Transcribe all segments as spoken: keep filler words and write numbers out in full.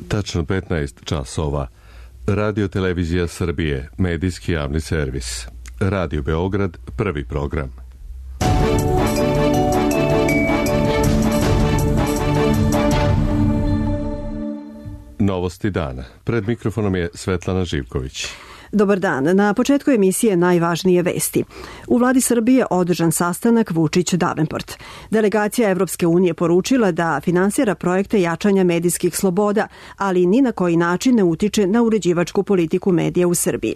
Tačno petnaest časova. Radio Televizija Srbije, medijski javni servis. Radio Beograd, prvi program. Novosti dana. Pred mikrofonom je Svetlana Živković. Dobar dan. Na početku emisije najvažnije vesti. U vladi Srbije održan sastanak Vučić-Davenport. Delegacija Evropske unije poručila da finansira projekte jačanja medijskih sloboda, ali ni na koji način ne utiče na uređivačku politiku medija u Srbiji.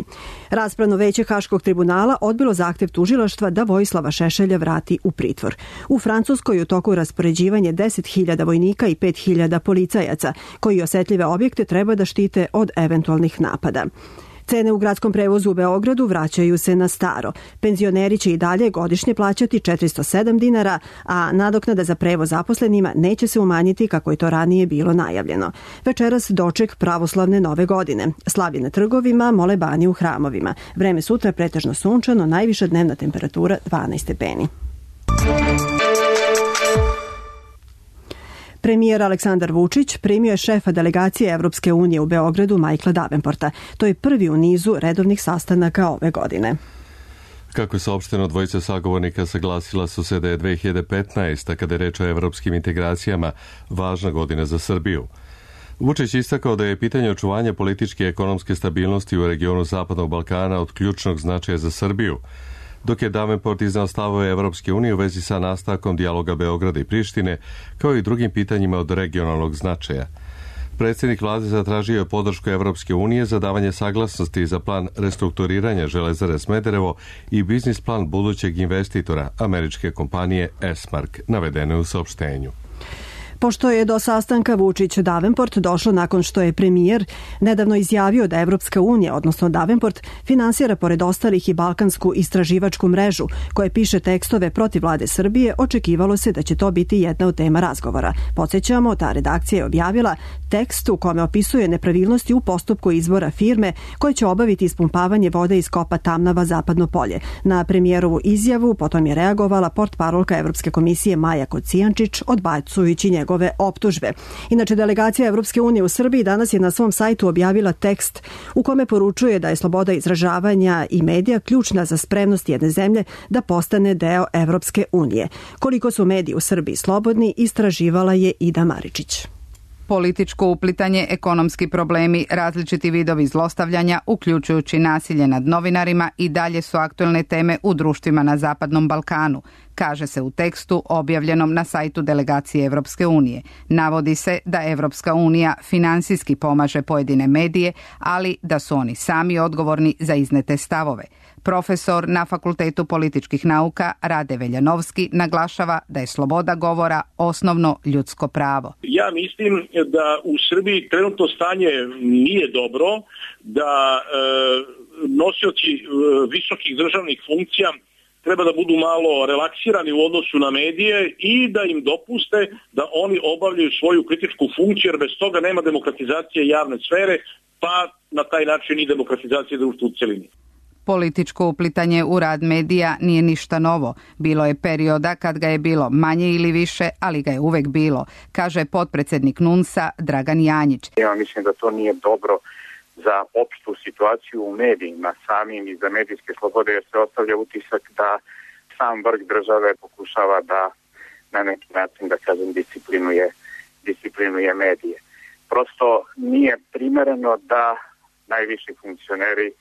Raspravno veće Haškog tribunala odbilo zahtev tužilaštva da Vojislava Šešelja vrati u pritvor. U Francuskoj je u toku raspoređivanje deset hiljada vojnika i pet hiljada policajaca, koji osetljive objekte treba da štite od eventualnih napada. Cene u gradskom prevozu u Beogradu vraćaju se na staro. Penzioneri će i dalje godišnje plaćati četiristo sedam dinara, a nadoknada za prevoz zaposlenima neće se umanjiti kako je to ranije bilo najavljeno. Večeras doček pravoslavne nove godine. Slavlje na trgovima, molebani u hramovima. Vreme sutra pretežno sunčano, najviša dnevna temperatura dvanaest stepeni. Premijer Aleksandar Vučić primio je šefa delegacije Evropske unije u Beogradu Michaela Davenporta. To je prvi u nizu redovnih sastanaka ove godine. Kako je saopšteno, dvojica sagovornika saglasila su se da je dve hiljade petnaesta. kada je reč o evropskim integracijama, važna godina za Srbiju. Vučić istakao da je pitanje očuvanja političke i ekonomske stabilnosti u regionu Zapadnog Balkana od ključnog značaja za Srbiju, dok je Davenport iznao stavove Evropske unije u vezi sa nastavkom dijaloga Beograda i Prištine, kao i drugim pitanjima od regionalnog značaja. Predsjednik vlade zatražio je podršku Evropske unije za davanje saglasnosti za plan restrukturiranja Železare Smederevo i biznis plan budućeg investitora, američke kompanije Esmark, navedeno u saopštenju. Pošto je do sastanka Vučić-Davenport došlo nakon što je premijer nedavno izjavio da Evropska unija, odnosno Davenport, finansira pored ostalih i balkansku istraživačku mrežu koje piše tekstove protiv vlade Srbije, očekivalo se da će to biti jedna od tema razgovora. Podsjećamo, ta redakcija je objavila tekst u kome opisuje nepravilnosti u postupku izbora firme koje će obaviti ispumpavanje vode iz kopa Tamnava Zapadno polje. Na premijerovu izjavu potom je reagovala portparolka Evropske komisije Maja Kocijančić, odbacujući njegov ove optužbe. Inače, delegacija Evropske unije u Srbiji danas je na svom sajtu objavila tekst u kome poručuje da je sloboda izražavanja i medija ključna za spremnost jedne zemlje da postane deo Evropske unije. Koliko su mediji u Srbiji slobodni, istraživala je Ida Maričić. Političko uplitanje, ekonomski problemi, različiti vidovi zlostavljanja, uključujući nasilje nad novinarima, i dalje su aktuelne teme u društvima na Zapadnom Balkanu, kaže se u tekstu objavljenom na sajtu delegacije Evropske unije. Navodi se da Evropska unija finansijski pomaže pojedine medije, ali da su oni sami odgovorni za iznete stavove. Profesor na Fakultetu političkih nauka Rade Veljanovski naglašava da je sloboda govora osnovno ljudsko pravo. Ja mislim da u Srbiji trenutno stanje nije dobro, da e, nosioci e, visokih državnih funkcija treba da budu malo relaksirani u odnosu na medije i da im dopuste da oni obavljaju svoju kritičku funkciju, jer bez toga nema demokratizacije javne sfere, pa na taj način i demokratizacije društva u celini. Političko uplitanje u rad medija nije ništa novo. Bilo je perioda kad ga je bilo manje ili više, ali ga je uvek bilo, kaže potpredsednik NUNS-a Dragan Janjić. Ja mislim da to nije dobro za opštu situaciju u medijima samim i za medijske slobode, jer se ostavlja utisak da sam vrh države pokušava da na neki način, da kažem, disciplinuje, disciplinuje medije. Prosto nije primereno da najviši funkcioneri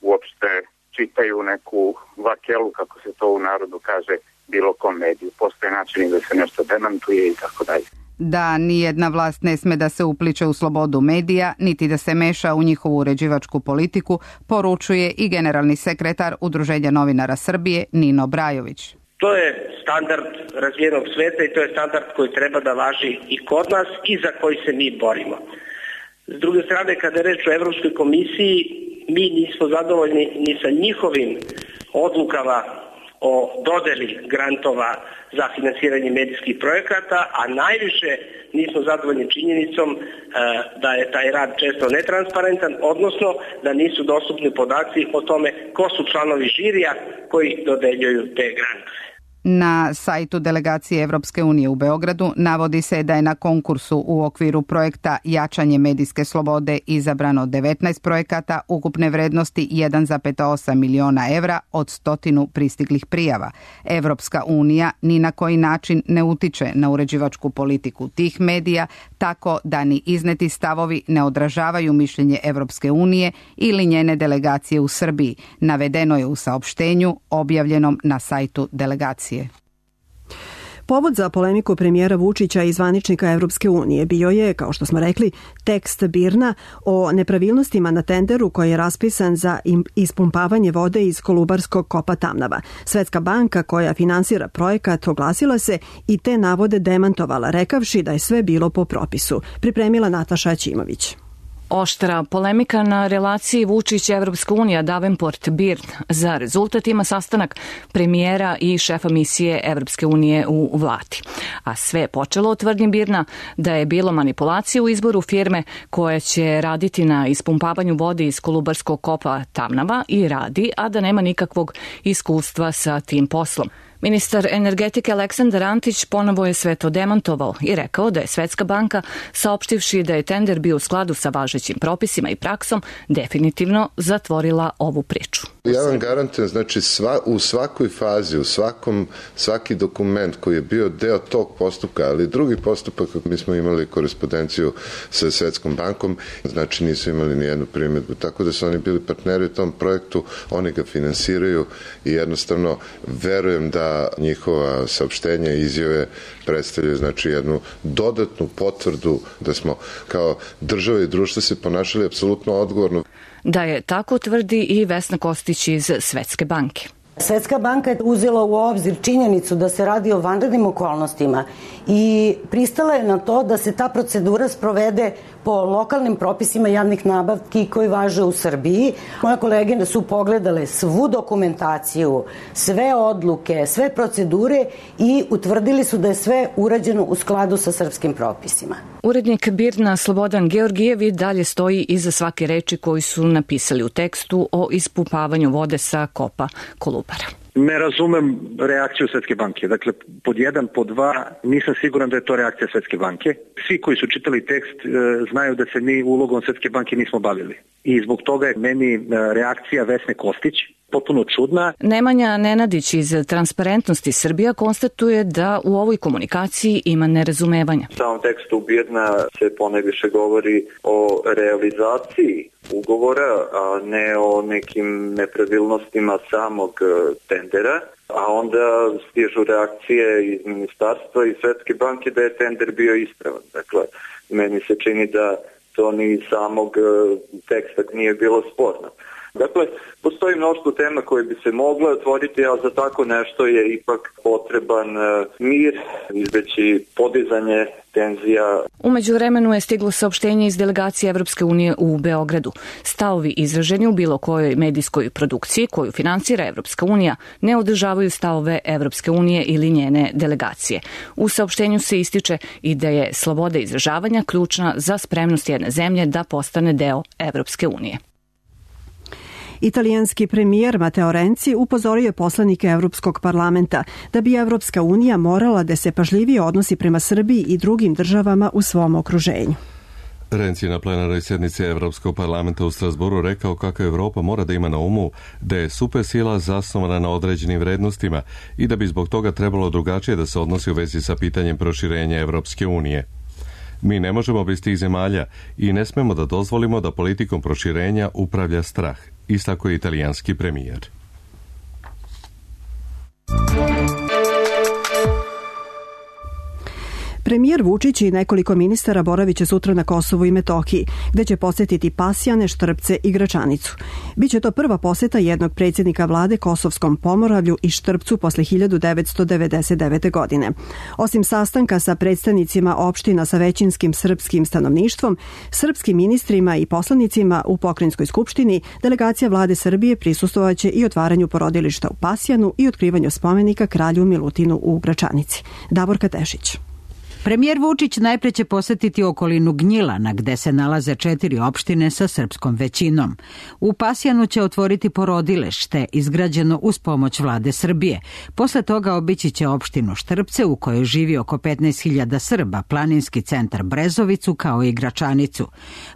uopšte čitaju neku vakelu, kako se to u narodu kaže, bilo kom mediju. Postoje načini da se nešto demantuje i tako dalje. Da nijedna vlast ne sme da se upliče u slobodu medija, niti da se meša u njihovu uređivačku politiku, poručuje i generalni sekretar Udruženja novinara Srbije Nino Brajović. To je standard razvijenog sveta i to je standard koji treba da važi i kod nas i za koji se mi borimo. S druge strane, kada je reč o Evropskoj komisiji, mi nismo zadovoljni ni sa njihovim odlukama o dodeli grantova za finansiranje medijskih projekata, a najviše nismo zadovoljni činjenicom e, da je taj rad često netransparentan, odnosno da nisu dostupni podaci o tome ko su članovi žirija koji dodeljuju te grantove. Na sajtu delegacije Evropske unije u Beogradu navodi se da je na konkursu u okviru projekta Jačanje medijske slobode izabrano devetnaest projekata ukupne vrednosti jedan zarez osam miliona evra od stotinu pristiglih prijava. Evropska unija ni na koji način ne utiče na uređivačku politiku tih medija, tako da ni izneti stavovi ne odražavaju mišljenje Evropske unije ili njene delegacije u Srbiji, navedeno je u saopštenju objavljenom na sajtu delegacije. Povod za polemiku premijera Vučića i zvaničnika Evropske unije bio je, kao što smo rekli, tekst BIRN-a o nepravilnostima na tenderu koji je raspisan za ispumpavanje vode iz kolubarskog kopa Tamnava. Svetska banka koja finansira projekat oglasila se i te navode demantovala, rekavši da je sve bilo po propisu. Pripremila Nataša Ćimović. Oštra polemika na relaciji Vučić-Evropska unija Davenport-BIRN za rezultat ima sastanak premijera i šefa misije Evropske unije u vladi. A sve je počelo od tvrdnji BIRN-a da je bilo manipulacije u izboru firme koja će raditi na ispumpavanju vode iz kolubarskog kopa Tamnava i radi, a da nema nikakvog iskustva sa tim poslom. Ministar energetike Aleksandar Antić ponovo je sve to demantovao i rekao da je Svetska banka, saopštivši da je tender bio u skladu sa važećim propisima i praksom, definitivno zatvorila ovu priču. Ja vam garantujem, znači sva, u svakoj fazi, u svakom, svaki dokument koji je bio deo tog postupka, ali drugi postupak, mi smo imali korespondenciju sa Svetskom bankom, znači nisu imali ni jednu primjedbu, tako da su oni bili partneri u tom projektu, oni ga finansiraju i jednostavno verujem da njihova saopštenja i izjave predstavljaju znači jednu dodatnu potvrdu da smo kao država i društvo se ponašali apsolutno odgovorno. Da je tako tvrdi i Vesna Kostić iz Svetske banke. Svetska banka je uzela u obzir činjenicu da se radi o vanrednim okolnostima i pristala je na to da se ta procedura sprovede po lokalnim propisima javnih nabavki koji važe u Srbiji. Moje kolege su pogledale svu dokumentaciju, sve odluke, sve procedure i utvrdili su da je sve urađeno u skladu sa srpskim propisima. Urednik BIRN-a Slobodan Georgijev i dalje stoji iza svake reči koju su napisali u tekstu o ispumpavanju vode sa kopa Kolubara. Ne razumem reakciju Svetske banke. Dakle, pod jedan, pod dva, nisam siguran da je to reakcija Svetske banke. Svi koji su čitali tekst e, znaju da se mi ulogom Svetske banke nismo bavili. I zbog toga je meni reakcija Vesne Kostić potpuno čudna. Nemanja Nenadić iz Transparentnosti Srbija konstatuje da u ovoj komunikaciji ima nerazumevanja. U samom tekstu BIRN-a se ponajviše govori o realizaciji ugovora, a ne o nekim nepravilnostima samog tendera, a onda stižu reakcije iz ministarstva i Svetske banke da je tender bio ispravan. Dakle, meni se čini da to ni samog teksta nije bilo sporno. Dakle, postoji mnoštvo tema koje bi se mogle otvoriti, a za tako nešto je ipak potreban mir, izbeći podizanje tenzija. Umeđu vremenu je stiglo saopštenje iz delegacije Evropske unije u Beogradu. Stavovi izraženi u bilo kojoj medijskoj produkciji koju finansira Evropska unija ne održavaju stavove Evropske unije ili njene delegacije. U saopštenju se ističe i da je sloboda izražavanja ključna za spremnost jedne zemlje da postane deo Evropske unije. Italijanski premijer Matteo Renzi upozorio poslanike Evropskog parlamenta da bi Evropska unija morala da se pažljivije odnosi prema Srbiji i drugim državama u svom okruženju. Renzi na plenarnoj sjednici Evropskog parlamenta u Strasbourgu rekao kako Evropa mora da ima na umu da je supersila zasnovana na određenim vrednostima i da bi zbog toga trebalo drugačije da se odnosi u vezi sa pitanjem proširenja Evropske unije. Mi ne možemo bez tih zemalja i ne smemo da dozvolimo da politikom proširenja upravlja strah, istakao je italijanski premijer. Premijer Vučić i nekoliko ministara boravit će sutra na Kosovu i Metohiji, gde će posjetiti Pasjane, Štrpce i Gračanicu. Biće to prva posjeta jednog predsjednika vlade Kosovskom Pomoravlju i Štrpcu posle hiljadu devetsto devedeset devete. godine. Osim sastanka sa predstavnicima opština sa većinskim srpskim stanovništvom, srpskim ministrima i poslanicima u Pokrajinskoj skupštini, delegacija vlade Srbije prisustvovaće i otvaranju porodilišta u Pasjanu i otkrivanju spomenika kralju Milutinu u Gračanici. Davorka Tešić. Premijer Vučić najpre će posetiti okolinu Gnjilana, gde se nalaze četiri opštine sa srpskom većinom. U Pasjanu će otvoriti porodilište, izgrađeno uz pomoć vlade Srbije. Posle toga obići će opštinu Štrpce, u kojoj živi oko petnaest hiljada Srba, planinski centar Brezovicu, kao i Gračanicu.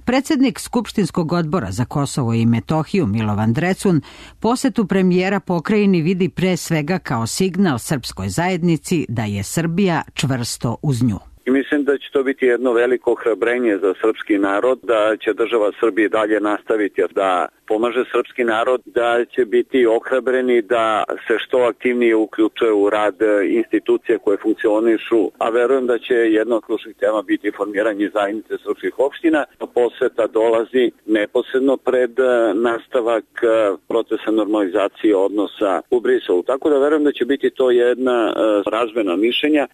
Predsednik Skupštinskog odbora za Kosovo i Metohiju, Milovan Drecun, posetu premijera pokrajini vidi pre svega kao signal srpskoj zajednici da je Srbija čvrsto uz nju. I mislim da će to biti jedno veliko ohrabrenje za srpski narod, da će država Srbije dalje nastaviti da pomaže srpski narod, da će biti ohrabreni da se što aktivnije uključuje u rad institucije koje funkcionišu, a verujem da će jedna od ključnih tema biti formiranje zajednice srpskih opština. Poseta dolazi neposredno pred nastavak procesa normalizacije odnosa u Briselu, tako da verujem da će biti to jedna razmena mišljenja.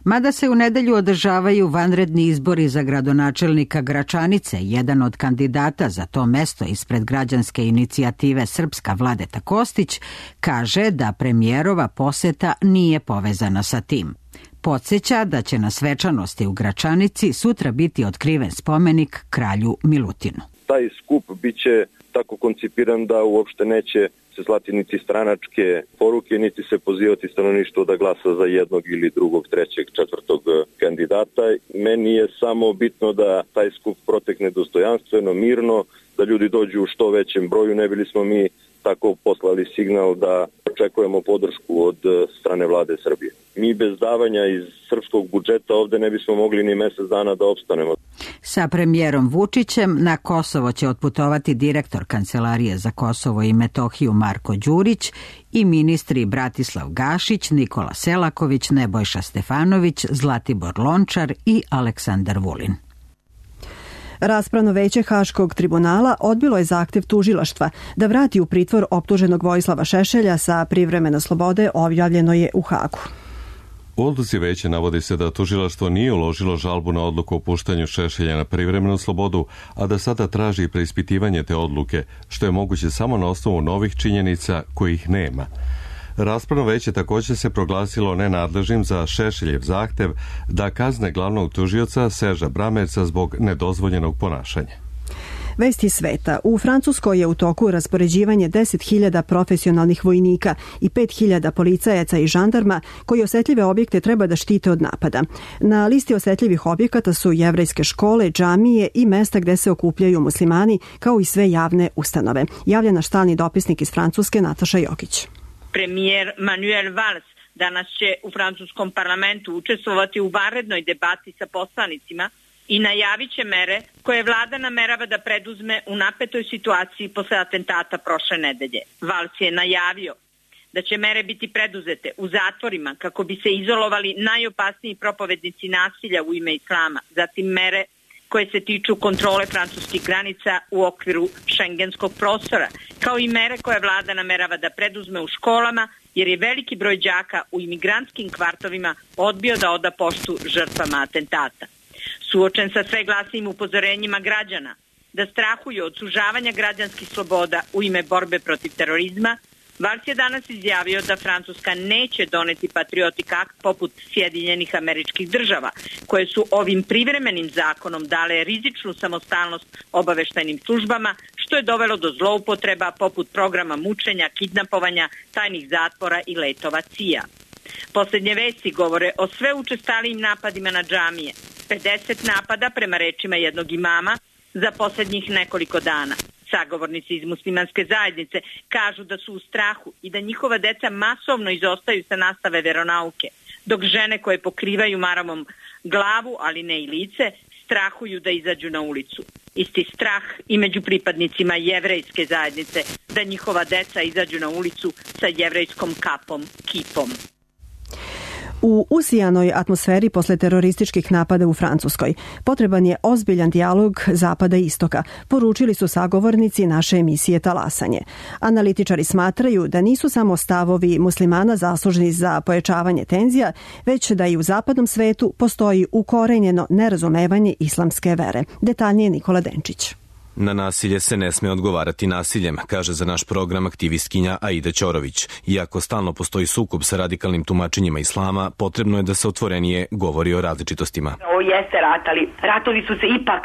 Mada se u nedelju održavaju vanredni izbori za gradonačelnika Gračanice, jedan od kandidata za to mesto ispred građanske inicijative Srpska Vladeta Kostić kaže da premijerova poseta nije povezana sa tim. Podseća da će na svečanosti u Gračanici sutra biti otkriven spomenik kralju Milutinu. Taj skup biće tako koncipiran da uopšte neće se slati niti stranačke poruke, niti se pozivati stanovništvo da glasa za jednog ili drugog, trećeg, četvrtog kandidata. Meni je samo bitno da taj skup protekne dostojanstveno, mirno, da ljudi dođu u što većem broju, ne bili smo mi tako poslali signal da očekujemo podršku od strane vlade Srbije. Mi bez davanja iz srpskog budžeta ovde ne bismo mogli ni mesec dana da opstanemo. Sa premijerom Vučićem na Kosovo će otputovati direktor Kancelarije za Kosovo i Metohiju Marko Đurić i ministri Bratislav Gašić, Nikola Selaković, Nebojša Stefanović, Zlatibor Lončar i Aleksandar Vulin. Raspravno veće Haškog tribunala odbilo je zahtev tužilaštva da vrati u pritvor optuženog Vojislava Šešelja sa privremene slobode, objavljeno je u Hagu. U odluci veće navodi se da tužilaštvo nije uložilo žalbu na odluku o puštanju Šešelja na privremenu slobodu, a da sada traži preispitivanje te odluke, što je moguće samo na osnovu novih činjenica kojih nema. Raspravno veće također se proglasilo nenadležnim za Šešeljev zahtev da kazne glavnog tužioca Serža Bramerca zbog nedozvoljenog ponašanja. Vesti sveta. U Francuskoj je u toku raspoređivanje deset hiljada profesionalnih vojnika i pet hiljada policajaca i žandarma koji osetljive objekte treba da štite od napada. Na listi osetljivih objekata su jevrejske škole, džamije i mesta gde se okupljaju muslimani, kao i sve javne ustanove. Javlja naš stalni dopisnik iz Francuske Nataša Jokić. Premijer Manuel Valls danas će u francuskom parlamentu učestvovati u vanrednoj debati sa poslanicima i najavit će mere koje vlada namerava da preduzme u napetoj situaciji posle atentata prošle nedelje. Valls je najavio da će mere biti preduzete u zatvorima kako bi se izolovali najopasniji propovednici nasilja u ime islama, zatim mere koje se tiču kontrole francuskih granica u okviru šengenskog prostora, kao i mere koje vlada namerava da preduzme u školama, jer je veliki broj đaka u imigrantskim kvartovima odbio da oda poštu žrtvama atentata. Suočen sa sve glasnijim upozorenjima građana da strahuju od sužavanja građanskih sloboda u ime borbe protiv terorizma, Valls je danas izjavio da Francuska neće doneti patriotik akt poput Sjedinjenih Američkih Država, koje su ovim privremenim zakonom dale rizičnu samostalnost obaveštajnim službama, što je dovelo do zloupotreba poput programa mučenja, kidnapovanja, tajnih zatvora i letova C I A. Posljednje vesti govore o sve učestalijim napadima na džamije, pedeset napada prema rečima jednog imama za posljednjih nekoliko dana. Sagovornici iz muslimanske zajednice kažu da su u strahu i da njihova deca masovno izostaju sa nastave veronauke, dok žene koje pokrivaju maramom glavu, ali ne i lice, strahuju da izađu na ulicu. Isti strah i među pripadnicima jevrejske zajednice da njihova deca izađu na ulicu sa jevrejskom kapom, kipom. U usijanoj atmosferi posle terorističkih napada u Francuskoj potreban je ozbiljan dijalog Zapada i Istoka, poručili su sagovornici naše emisije Talasanje. Analitičari smatraju da nisu samo stavovi muslimana zaslužni za pojačavanje tenzija, već da i u zapadnom svetu postoji ukorenjeno nerazumevanje islamske vere. Detaljnije Nikola Denčić. Na nasilje se ne sme odgovarati nasiljem, kaže za naš program aktivistkinja Aida Ćorović. Iako stalno postoji sukob sa radikalnim tumačenjima islama, potrebno je da se otvorenije govori o različitostima. Ovo jeste rat, ali ratovi su se ipak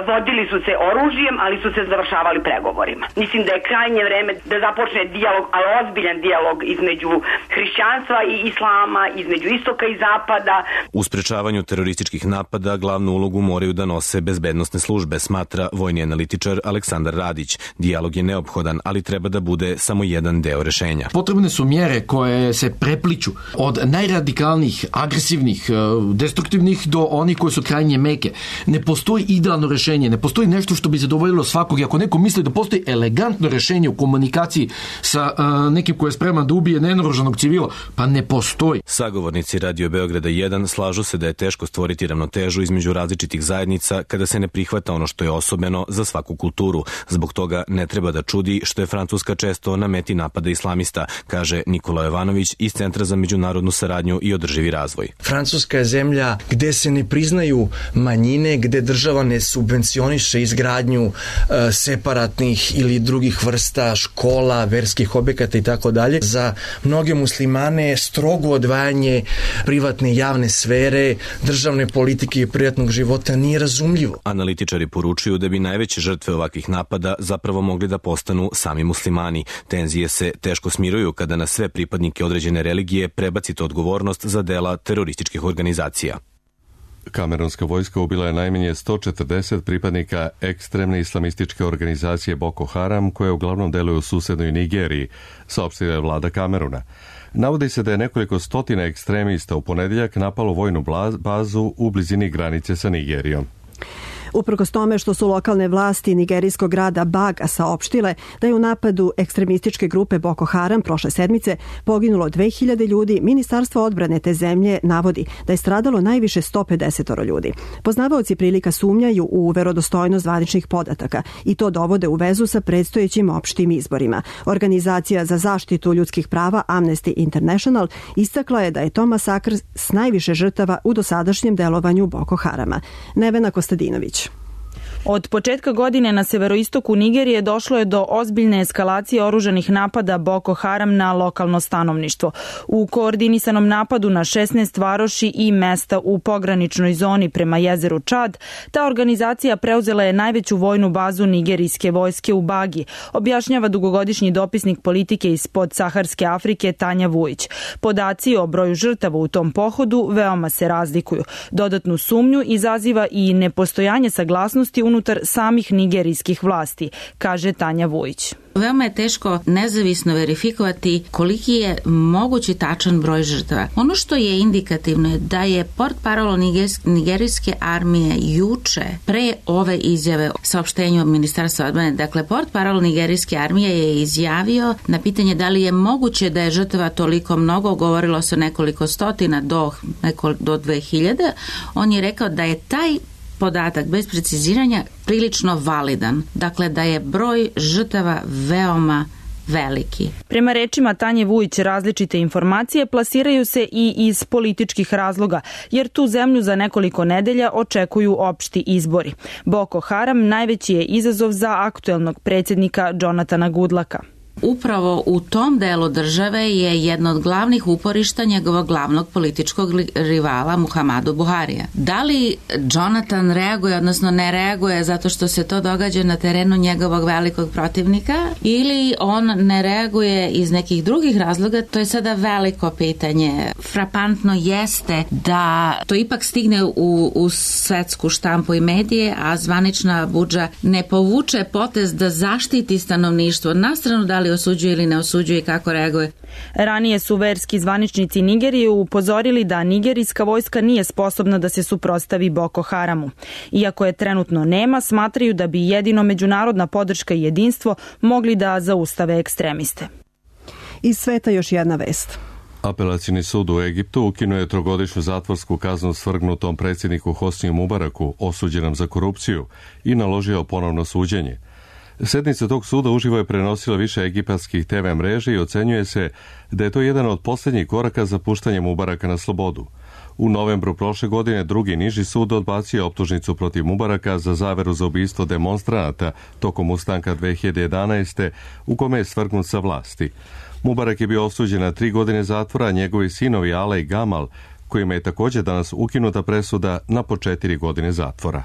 vodili su se oružjem, ali su se završavali pregovorima. Mislim da je krajnje vreme da započne dijalog, ali ozbiljan dijalog između hrišćanstva i islama, između istoka i zapada. U sprečavanju terorističkih napada glavnu ulogu moraju da nose bezbednosne službe, smatra vojni analitičar Aleksandar Radić. Dijalog je neophodan, ali treba da bude samo jedan deo rešenja. Potrebne su mjere koje se prepliču od najradikalnijih, agresivnih, destruktivnih do onih koje su krajnje meke. Ne postoji idealno rešenje, ne postoji nešto što bi zadovoljilo svakog. I ako neko misli da postoji elegantno rešenje u komunikaciji sa uh, nekim ko je spreman da ubije nenaoružanog civila, pa ne postoji. Sagovornici Radio Beograda jedan slažu se da je teško stvoriti ravnotežu između različitih zajednica kada se ne prihvata ono što je osobeno za svaku kulturu. Zbog toga ne treba da čudi što je Francuska često na meti napada islamista, kaže Nikola Jovanović iz Centra za međunarodnu saradnju i održivi razvoj. Francuska je zemlja gde se ne priznaju manjine, gde država ne subvencioniše izgradnju uh, separatnih ili drugih vrsta škola, verskih objekata i tako dalje. Za mnoge muslimane strogo odvajanje privatne i javne sfere, državne politike i privatnog života nije razumljivo. Analitičari poručuju da bi najveće žrtve ovakvih napada zapravo mogli da postanu sami muslimani. Tenzije se teško smiruju kada na sve pripadnike određene religije prebacite odgovornost za dela terorističkih organizacija. Kamerunska vojska ubila je najmanje sto četrdeset pripadnika ekstremne islamističke organizacije Boko Haram, koja uglavnom deluje u susednoj Nigeriji, saopštila je vlada Kameruna. Navodi se da je nekoliko stotina ekstremista u ponedeljak napalo vojnu bazu u blizini granice sa Nigerijom. Uprkos tome što su lokalne vlasti nigerijskog grada Baga saopštile da je u napadu ekstremističke grupe Boko Haram prošle sedmice poginulo dve hiljade ljudi, Ministarstvo odbrane te zemlje navodi da je stradalo najviše sto pedeset ljudi. Poznavaoci prilika sumnjaju u verodostojnost zvaničnih podataka i to dovode u vezu sa predstojećim opštim izborima. Organizacija za zaštitu ljudskih prava Amnesty International istakla je da je to masakr s najviše žrtava u dosadašnjem delovanju Boko Harama. Nevena Kostadinović. Od početka godine na severoistoku Nigerije došlo je do ozbiljne eskalacije oružanih napada Boko Haram na lokalno stanovništvo. U koordinisanom napadu na šesnaest varoši i mesta u pograničnoj zoni prema jezeru Čad, ta organizacija preuzela je najveću vojnu bazu nigerijske vojske u Bagi, objašnjava dugogodišnji dopisnik politike iz podsaharske Afrike Tanja Vujić. Podaci o broju žrtava u tom pohodu veoma se razlikuju. Dodatnu sumnju izaziva i nepostojanje saglasnosti unutar samih nigerijskih vlasti, kaže Tanja Vujić. Veoma je teško nezavisno verifikovati koliki je mogući tačan broj žrtava. Ono što je indikativno je da je portparol nigerijske armije juče pre ove izjave saopštenju Ministarstva odbrane, dakle portparol nigerijske armije je izjavio na pitanje da li je moguće da je žrtava toliko mnogo, govorilo se o nekoliko stotina do, neko, do dve hiljade, on je rekao da je taj podatak bez preciziranja prilično validan. Dakle, da je broj žrtava veoma veliki. Prema rečima Tanje Vujić, različite informacije plasiraju se i iz političkih razloga, jer tu zemlju za nekoliko nedelja očekuju opšti izbori. Boko Haram najveći je izazov za aktuelnog predsjednika Jonathana Goodlucka. Upravo u tom delu države je jedno od glavnih uporišta njegovog glavnog političkog rivala Muhammadu Buharija. Da li Jonathan reaguje, odnosno ne reaguje zato što se to događa na terenu njegovog velikog protivnika, ili on ne reaguje iz nekih drugih razloga, to je sada veliko pitanje. Frapantno jeste da to ipak stigne u, u svetsku štampu i medije, a zvanična Abudža ne povuče potez da zaštiti stanovništvo, na stranu da li osuđuje ili ne osuđuje i kako reaguje. Ranije su verski zvaničnici Nigerije upozorili da nigerijska vojska nije sposobna da se suprotstavi Boko Haramu. Iako je trenutno nema, smatraju da bi jedino međunarodna podrška i jedinstvo mogli da zaustave ekstremiste. Iz sveta još jedna vest. Apelacijni sud u Egiptu ukinuo je trogodišnju zatvorsku kaznu svrgnutom predsjedniku Hosniju Mubaraku, osuđenom za korupciju, i naložio ponovno suđenje. Sednica tog suda uživo je prenosila više egipatskih te ve mreže i ocenjuje se da je to jedan od posljednjih koraka za puštanje Mubaraka na slobodu. U novembru prošle godine drugi niži sud odbacio optužnicu protiv Mubaraka za zaveru za ubistvo demonstranata tokom ustanka dve hiljade jedanaeste. u kome je svrgnut sa vlasti. Mubarak je bio osuđen na tri godine zatvora, a njegovi sinovi Ale i Gamal, kojima je također danas ukinuta presuda, na po četiri godine zatvora.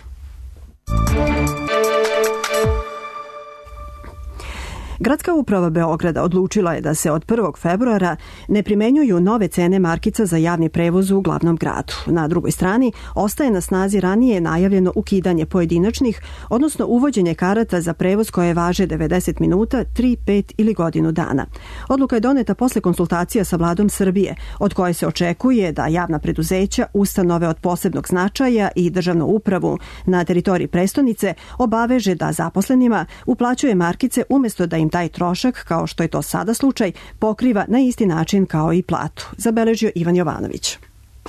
Gradska uprava Beograda odlučila je da se od prvog februara ne primenjuju nove cene markica za javni prevoz u glavnom gradu. Na drugoj strani ostaje na snazi ranije najavljeno ukidanje pojedinačnih, odnosno uvođenje karata za prevoz koje važe devedeset minuta, tri, pet ili godinu dana. Odluka je doneta posle konsultacija sa vladom Srbije, od koje se očekuje da javna preduzeća, ustanove od posebnog značaja i državnu upravu na teritoriji prestonice obaveže da zaposlenima uplaćuje markice umjesto da im taj trošak, kao što je to sada slučaj, pokriva na isti način kao i platu, zabeležio Ivan Jovanović.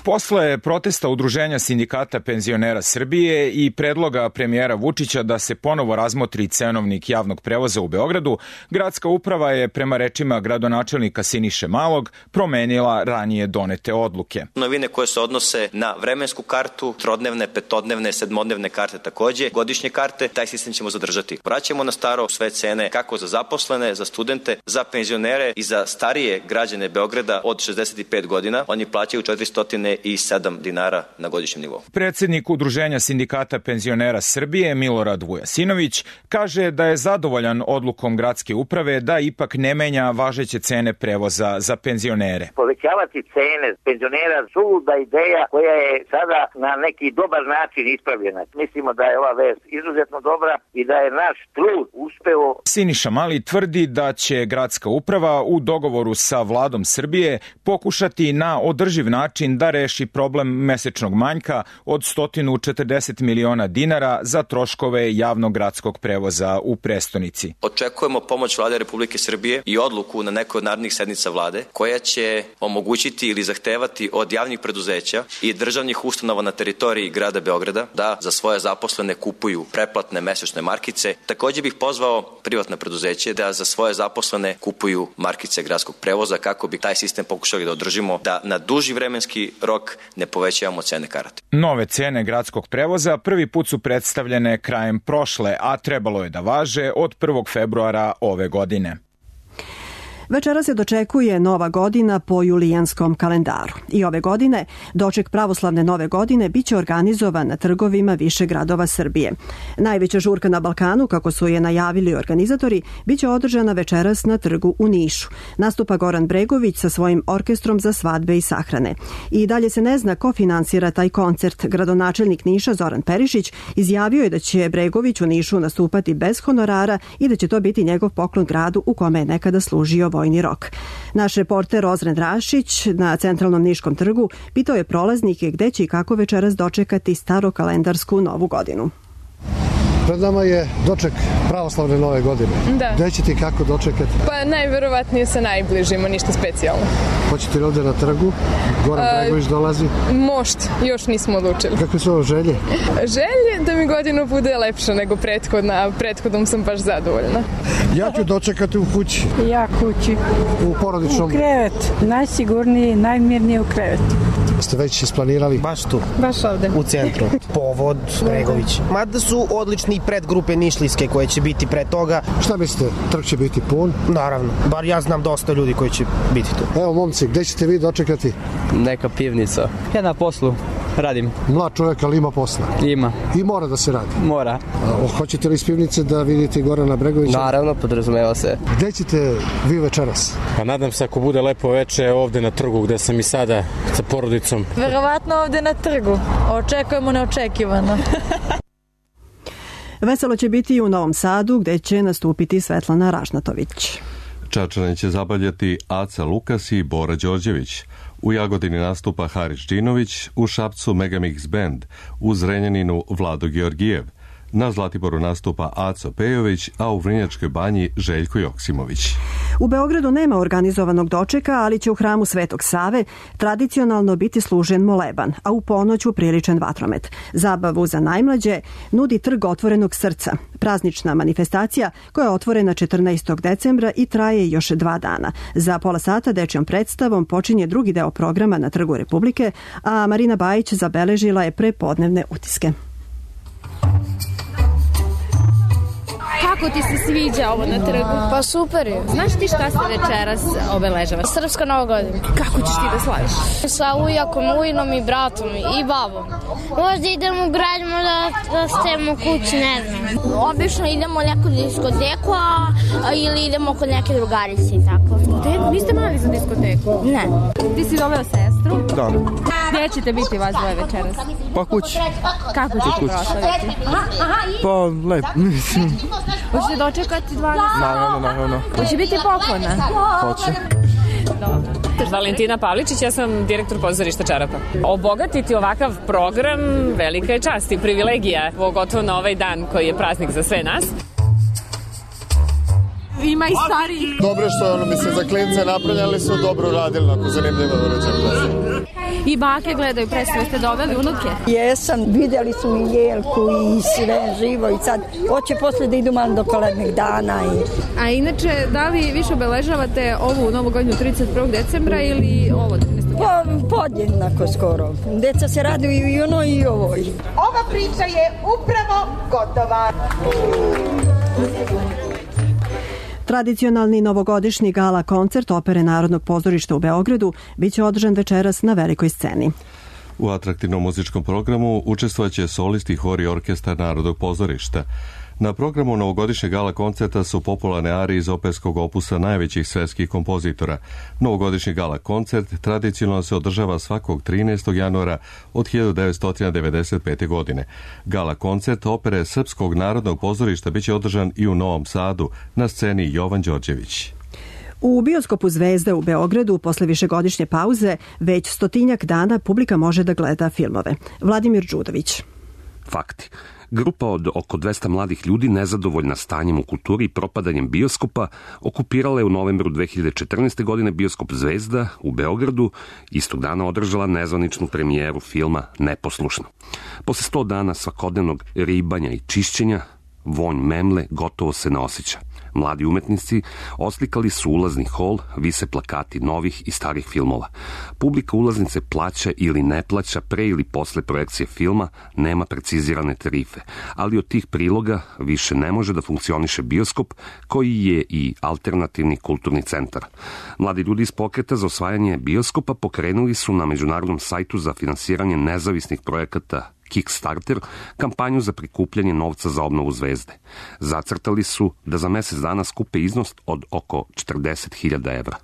Posle protesta Udruženja sindikata penzionera Srbije i predloga premijera Vučića da se ponovo razmotri cenovnik javnog prevoza u Beogradu, gradska uprava je, prema rečima gradonačelnika Siniše Malog, promenila ranije donete odluke. Novine koje se odnose na vremensku kartu, trodnevne, petodnevne, sedmodnevne karte takođe, godišnje karte, taj sistem ćemo zadržati. Vraćamo na staro sve cene kako za zaposlene, za studente, za penzionere i za starije građane Beograda od šezdeset pet godina. Oni plaćaju četiristo i sedam dinara na godišnjem nivou. Predsednik Udruženja sindikata penzionera Srbije Milorad Vujasinović kaže da je zadovoljan odlukom gradske uprave da ipak ne menja važeće cene prevoza za penzionere. Povećavati cene penzionera suluda ideja koja je sada na neki dobar način ispravljena. Mislimo da je ova vest izuzetno dobra i da je naš trud uspeo. Siniša Mali tvrdi da će gradska uprava u dogovoru sa vladom Srbije pokušati na održiv način da reši problem mesečnog manjka od sto četrdeset miliona dinara za troškove javnog gradskog prevoza u prestonici. Očekujemo pomoć vlade Republike Srbije i odluku na nekoj od narednih sednica vlade koja će omogućiti ili zahtevati od javnih preduzeća i državnih ustanova na teritoriji grada Beograda da za svoje zaposlene kupuju preplatne mesečne markice. Također bih pozvao privatne preduzeće da za svoje zaposlene kupuju markice gradskog prevoza kako bi taj sistem pokušali da održimo, da na duži vremenski rok ne povećavamo cene karate. Nove cene gradskog prevoza prvi put su predstavljene krajem prošle, a trebalo je da važe od prvog februara ove godine. Večera se dočekuje Nova godina po julijanskom kalendaru. I ove godine doček pravoslavne Nove godine biće organizovan na trgovima više gradova Srbije. Najveća žurka na Balkanu, kako su je najavili organizatori, biće održana večeras na trgu u Nišu. Nastupa Goran Bregović sa svojim orkestrom za svadbe i sahrane. I dalje se ne zna ko finansira taj koncert. Gradonačelnik Niša Zoran Perišić izjavio je da će Bregović u Nišu nastupati bez honorara i da će to biti njegov poklon gradu u kome je nekada služio vojni rok. Naš reporter Ozren Rašić na centralnom Niškom trgu pitao je prolaznike gde će i kako večeras dočekati starokalendarsku Novu godinu. Pred nama je doček pravoslavne Nove godine. Da. Gde ćete i kako dočekati? Pa najverovatnije sa najbližima, ništa specijalno. Hoćete li ovde na trgu? Goran Bregović dolazi? Možda, još nismo odlučili. Kakve su ovo želje? Želje da mi godina bude lepša nego prethodna, a prethodnom sam baš zadovoljna. Ja ću dočekati u kući. Ja kući. U porodičnom? U krevet. Najsigurniji, najmirniji u krevetu. Ste već isplanirali? Baš tu. Baš ovde. U centru. Povod Bregović. Mada su odlični predgrupe Nišlijske koje će biti pre toga. Šta mislite, trg će biti pun? Naravno, bar ja znam dosta ljudi koji će biti tu. Evo momci, gde ćete vi dočekati? Neka pivnica. Ja na poslu radim. Mlad čovjek, ali ima posla? Ima. I mora da se radi? Mora. A, hoćete li iz pivnice da vidite Gorana Bregovića? Naravno, podrazumeva se. Gde ćete vi večeras? Pa nadam se ako bude lepo veče ovde na trgu gde sam i sada sa porodicom. Verovatno ovde na trgu. Očekujemo neočekivano. Veselo će biti i u Novom Sadu gde će nastupiti Svetlana Ražnatović. Čačane će zabavljati Aca Lukas i Bora Đorđević. U Jagodini nastupa Haris Džinović, u Šapcu Megamix Band, u Zrenjaninu Vlado Georgijev. Na Zlatiboru nastupa Aco Pejović, a u Vrnjačkoj banji Željko Joksimović. U Beogradu nema organizovanog dočeka, ali će u hramu Svetog Save tradicionalno biti služen moleban, a u ponoć upriličen vatromet. Zabavu za najmlađe nudi Trg otvorenog srca, praznična manifestacija koja je otvorena četrnaestog decembra i traje još dva dana. Za pola sata dečjom predstavom počinje drugi deo programa na Trgu Republike, a Marina Bajić zabeležila je prepodnevne utiske. Kako ti se sviđa ovo na trgu? Pa super je. Znaš ti šta se večeras obeležava? Srpska Nova godina. Kako ćeš ti da slaviš? Sa ujakom, ujinom i bratom i babom. Možda idemo u grad, možda da stavimo kući, ne znam. Obično idemo u neku diskoteku, a, a, ili idemo kod neke drugarice i tako. Diskoteku? Niste mali za diskoteku? Ne. Ti si doveo sestru? Da. Gde ćete biti vas dvoje večeras? Pa kući. Kako ćete proslaviti? Pa lepo, mislim. Hoćete dočekati dvadeset? Naravno, naravno. Hoće biti poklona? Hoće. Dobro. Valentina Pavličić, ja sam direktor pozorišta Čarapa. Obogatiti ovakav program velika je čast i privilegija, pogotovo na ovaj dan koji je praznik za sve nas. Ima i stariji. Dobro što, ono, mislim, za klince napravljali su dobro radili, ako zanimljivo uređaj. I bake gledaju predstave, ste doveli unuke? Jesam, vidjeli su i Jelku i sve živo i sad hoće posle da idu malo do kolednih dana. I... A inače, da li više obeležavate ovu novu godinu trideset prvog decembra ili ovo? Pa, podjednako skoro. Deca se raduju i ono i ovoj. Ova priča je upravo gotova. Tradicionalni novogodišnji gala koncert Opere Narodnog pozorišta u Beogradu biće održan večeras na velikoj sceni. U atraktivnom muzičkom programu učestvovaće solisti, hor i orkestar Narodnog pozorišta. Na programu novogodišnjeg gala koncerta su popularne arije iz operskog opusa najvećih svetskih kompozitora. Novogodišnji gala koncert tradicionalno se održava svakog trinaestog januara od hiljadu devetsto devedeset pete. godine. Gala koncert opere Srpskog narodnog pozorišta biće održan i u Novom Sadu na sceni Jovan Đorđević. U bioskopu Zvezde u Beogradu posle višegodišnje pauze već stotinjak dana publika može da gleda filmove. Vladimir Đudović. Fakti. Grupa od oko dvesta mladih ljudi nezadovoljna stanjem u kulturi i propadanjem bioskopa okupirala je u novembru dve hiljade četrnaeste. godine bioskop Zvezda u Beogradu, istog dana održala nezvaničnu premijeru filma Neposlušno. Posle sto dana svakodnevnog ribanja i čišćenja, vonj memle gotovo se ne osjeća. Mladi umetnici oslikali su ulazni hol, vise plakati novih i starih filmova. Publika ulaznice plaća ili ne plaća pre ili posle projekcije filma, nema precizirane tarife, ali od tih priloga više ne može da funkcioniše bioskop koji je i alternativni kulturni centar. Mladi ljudi iz pokreta za osvajanje bioskopa pokrenuli su na međunarodnom sajtu za finansiranje nezavisnih projekata Kickstarter kampanju za prikupljanje novca za obnovu Zvezde. Zacrtali su da za mesec dana skupe iznos od oko četrdeset hiljada evra.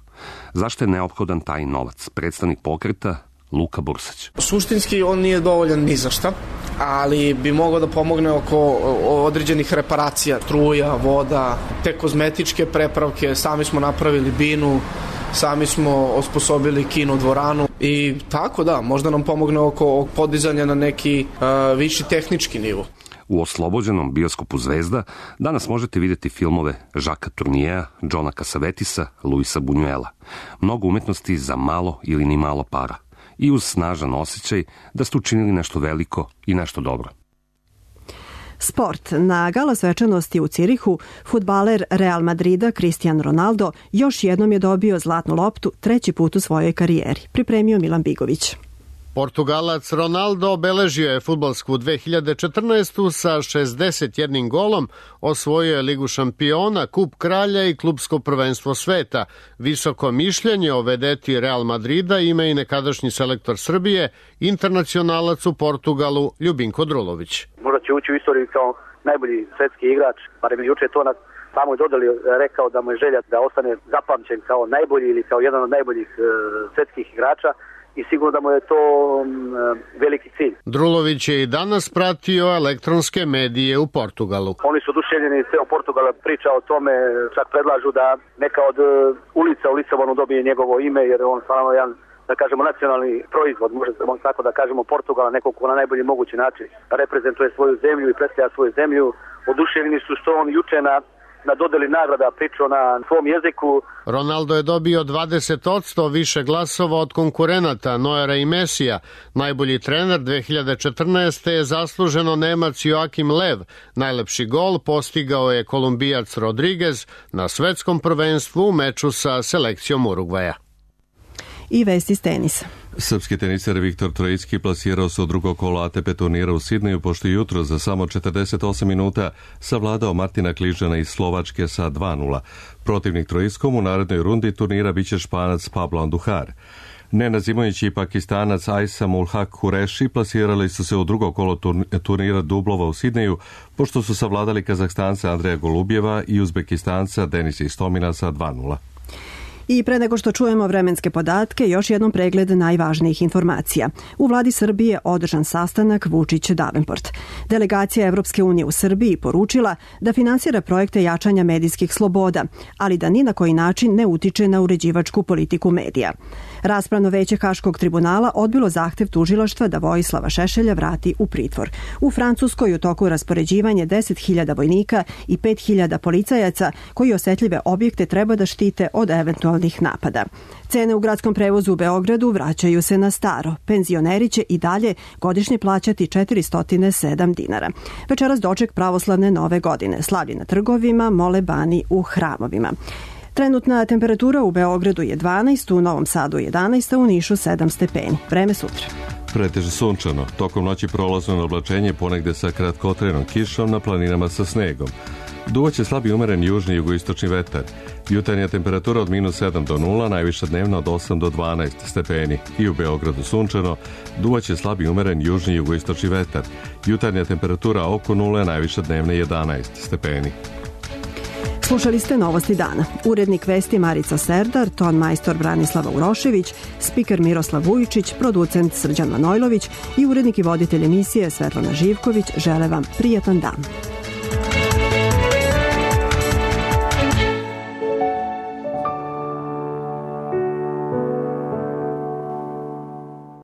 Zašto je neophodan taj novac? Predstavnik pokreta Luka Bursać. Suštinski on nije dovoljan ni za šta, ali bi mogao da pomogne oko određenih reparacija, struja, voda, te kozmetičke prepravke. Sami smo napravili binu, sami smo osposobili kino dvoranu i tako da, možda nam pomogne oko podizanja na neki uh, viši tehnički nivo. U oslobođenom bioskopu Zvezda danas možete vidjeti filmove Žaka Turnijeja, Johna Casavetisa, Luisa Buñuela. Mnogo umetnosti za malo ili ni malo para. I uz snažan osjećaj da ste učinili nešto veliko i nešto dobro. Sport. Na gala svečanosti u Cirihu fudbaler Real Madrida Cristiano Ronaldo još jednom je dobio zlatnu loptu treći put u svojoj karijeri. Pripremio Milan Bigović. Portugalac Ronaldo obeležio je fudbalsku dve hiljade četrnaestu. sa šezdeset jednim golom, osvojio je Ligu šampiona, Kup kralja i klupsko prvenstvo sveta. Visoko mišljenje o vedeti Real Madrida ima i nekadašnji selektor Srbije, internacionalac u Portugalu Ljubinko Drulović. Možda će ući u istoriju kao najbolji svetski igrač, barem je juče to na samoj dodali rekao da mu je želja da ostane zapamćen kao najbolji ili kao jedan od najboljih uh, svetskih igrača. I sigurno da mu je to um, veliki cilj. Drulović je i danas pratio elektronske medije u Portugalu. Oni su oduševljeni, ceo Portugal priča o tome, čak predlažu da neka od uh, ulica u Lisabonu dobije njegovo ime, jer on stvarno jedan da kažemo, nacionalni proizvod, možemo tako da kažemo, Portugala, nekog ko na najbolji mogući način reprezentuje svoju zemlju i predstavlja svoju zemlju. Oduševljeni su što on juče na na dodeli nagrada pričao na svom jeziku. Ronaldo je dobio dvadeset posto više glasova od konkurenata Neuera i Mesija. Najbolji trener dve hiljade četrnaeste. je zasluženo Nemac Joakim Lev. Najlepši gol postigao je Kolumbijac Rodriguez na svetskom prvenstvu u meču sa selekcijom Urugvaja. I vesti s tenisa. Srpski teniser Viktor Trojicki plasirao se u drugo kolo A T P turnira u Sidneju, pošto je jutro za samo četrdeset osam minuta savladao Martina Kližana iz Slovačke sa dva nula. Protivnik Trojickom u narednoj rundi turnira biće Španac Pablo Andujar. Nenad Zimović i Pakistanac Aisam ul Haq Kureshi plasirali su se u drugo kolo turnira dublova u Sidneju, pošto su savladali Kazahstanca Andreja Golubjeva i Uzbekistanca Denisa Istomina sa dva nula. I pre nego što čujemo vremenske podatke, još jednom pregled najvažnijih informacija. U vladi Srbije održan sastanak Vučić-Davenport. Delegacija Evropske unije u Srbiji poručila da finansira projekte jačanja medijskih sloboda, ali da ni na koji način ne utiče na uređivačku politiku medija. Raspravno veće Haškog tribunala odbilo zahtev tužilaštva da Vojislava Šešelja vrati u pritvor. U Francuskoj u toku raspoređivanje deset hiljada vojnika i pet hiljada policajaca koji osetljive objekte treba da štite od eventualnih napada. Cene u gradskom prevozu u Beogradu vraćaju se na staro. Penzioneri će i dalje godišnje plaćati četiristo sedam dinara. Večeras doček pravoslavne nove godine. Slavlje na trgovima, molebani u hramovima. Trenutna temperatura u Beogradu je dvanaest, u Novom Sadu jedanaest, a u Nišu sedam stepeni. Vreme sutra. Preteže sunčano. Tokom noći prolazno na oblačenje, ponegde sa kratkotrenom kišom, na planinama sa snegom. Duvaće slabi umeren južni i jugoistočni vetar. Jutarnja temperatura od minus sedam do nula, najviša dnevna od osam do dvanaest stepeni. I u Beogradu sunčano, duvaće slabi umeren južni i jugoistočni vetar. Jutarnja temperatura oko nule, najviša dnevna jedanaest stepeni. Slušali ste Novosti dana. Urednik vesti Marica Serdar, ton majstor Branislava Urošević, spiker Miroslav Vujičić, producent Srđan Manojlović i urednik i voditelj emisije Svetlana Živković žele vam prijatan dan.